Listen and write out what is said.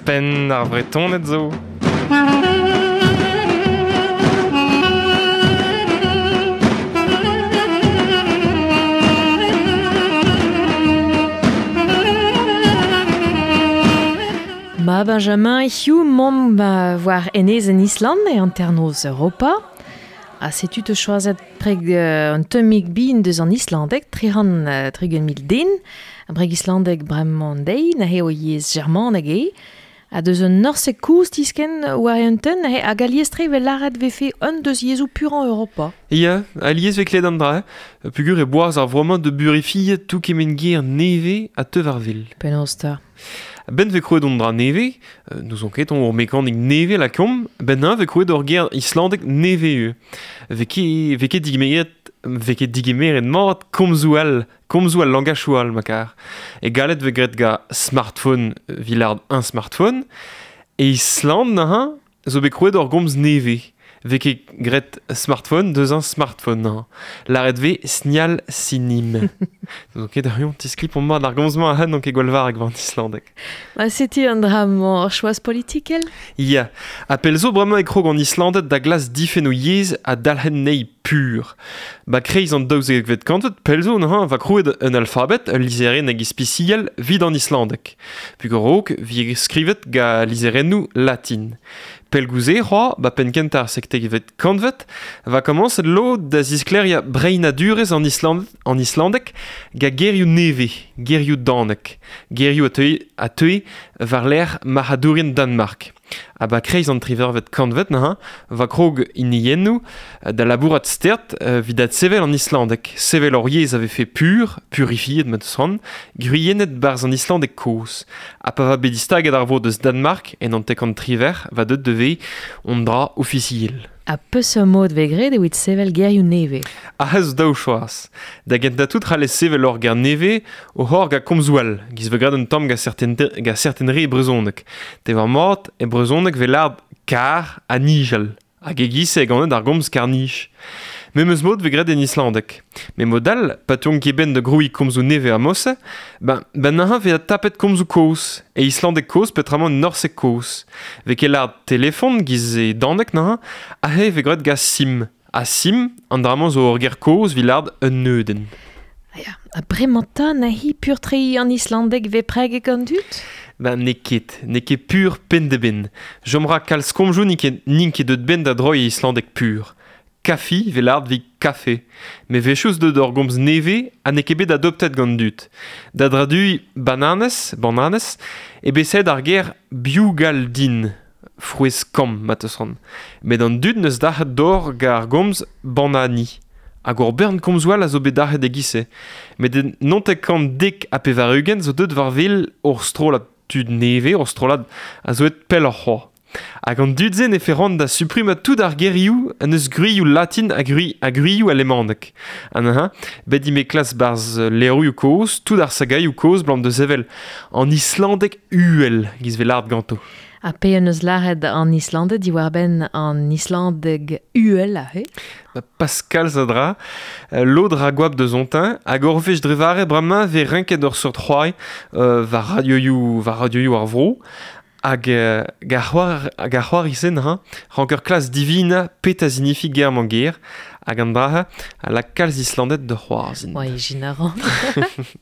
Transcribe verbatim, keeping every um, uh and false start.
Ouzhpenn ar Vretoned zo. Ma Benjamin, hiziv 'momp war enezenn Island e hanternoz Europa. Ha setu te choazet preg uh, un tammig bin deus an islandeg, tri-c'hant uh, tregont mil den. A breg islandeg bremañ deiz, neuze o yezh germaneg eo. Ha deus un norseg kozh tisken war un tenn, neuze hag alies-tre vel lâret vefe un deus yezhoù purañ Europa. Ya, alies ve klet an dra, pugur e boaz ar vromañ de burifiet tout kement ger neve a teu war vil. Penaos ta? Ben ve krouet on dra neve, euh, nous on ket on ur mekanik neve la kom, ben un ve krouet ur ger islandek neve eu. Ve ket, ve ket digemeret, ve ket digemeret mat komzoù all, komzoù al langachou all makar. E galet ve gret ga smartphone, vilard un smartphone, e Island naha, zo bet krouet ur gomz neve. Ve ket gret smartphone deus un smartphone naha. Laret ve snial sinim. Donc ket ar yon tisklip on mat ar gomz-mañ a han ket gwall var an islandeg. Ma setu an dra-mañ ur choaz politikel? Ya, ha pell zo bremañ e krog an Islanded da glas difenn o yezh ha dalc'hen nei pur. Ba kreiz an daouzekvet kantved, pell zo neuze va krouet un alfabet, ul lizherenn hag ispisial vid an islandeg. Pugur raok vi skrivet ga lizherennoù latin. Pell gouze c'hoa, ba penn kentañ ar sektekvet kantved, va komañset lod da ziskleria breinadurezh an Island, an islandeg ga gerioù neve, gerioù danek, gerioù a teue, a teue war lec'h marc'hadourien Danmark. Ha ba kreiz an trivervet kantved neuze, va krog hiniennoù da labourat stert evit adsevel an islandeg. Sevel ur yezh a vefe pur, purifiet ma deus c'hoant, gwriennet barzh an islandeg kozh. Ha pa va bet distaget ar vro deus Danmark en an tekant triver, va deut devez on dra ofisiel. Ha peseurt mod vez graet evit sevel gerioù nevez? Ah, zo daou choaz. Da gentañ tout c'hallez sevel ur ger nevez o c'hor ga komzoù all, giz vez graet un tamm ga certain, ga certain re e brezhoneg. Te war mat e brezhoneg vez lâret kar ha nijal. Hag e giz e ganet ar gomz kar-nij. Memes mod vez graet en islandeg. Met mod all, pa teuont ket ben da grouiñ komzoù nevez a mose, ben, ben neuze vez tapet komzoù kozh. E islandeg kozh peotramant norseg kozh. Vez ket lâret telefon giz e daneg neuze, aze vez graet ga sim. Ha sim, an dra-mañ zo ur ger kozh evit lâret un neudenn. Ah ya, ha bremañ 'ta neuze pur-tre an islandeg vez preget gant dud? Ben n'eo ket, n'eo ket pur penn-da-benn. Chom ra kalz komzoù n'int ket, n'int ket deut benn da droiñ e islandeg pur. Kafi vez lâret evit kafe. Met wechoù deut ur gomz nevez ha n'eo ket bet adoptet gant dud. Da draduiñ bananez, bananez, e bet saet ar ger biogaldin, frouezh kamm ma teus c'hoant. Met an dud neus dac'het d'or gant ar gomz banani. Hag ur bern komzoù all a zo bet dac'het e-giz-se. Met en naontek kant dek ha pevar-ugent zo deut war wel ur strollad tud nevez, ur strollad a zo et pelloc'h c'hoazh. Hag an dud-se ne feront da supprimañ tout ar gerioù an eus gwrioù latin ha gwri, ha gwrioù alemanek. An ha, bet ime klas barzh levrioù kozh, tout ar sagaioù kozh blam deus evel an islandeg uhel giz vez lâret ganto. Ha pe an eus lâret an Islanded diwar-benn an islandeg uhel aze? Ba Pascal Zadra, lod ra goap deus ontin, hag ur wech dre vare bremañ vez renket ur seurt c'hoari euh, war radioioù, war radioioù ar vro, hag euh, ga c'hoar, hag ar c'hoari-se neuze, rank ur klas divina pet a zinifi ger mañ ger, hag an dra a lak kalz Islanded da c'hoarzhin. Oa, ijin a ran.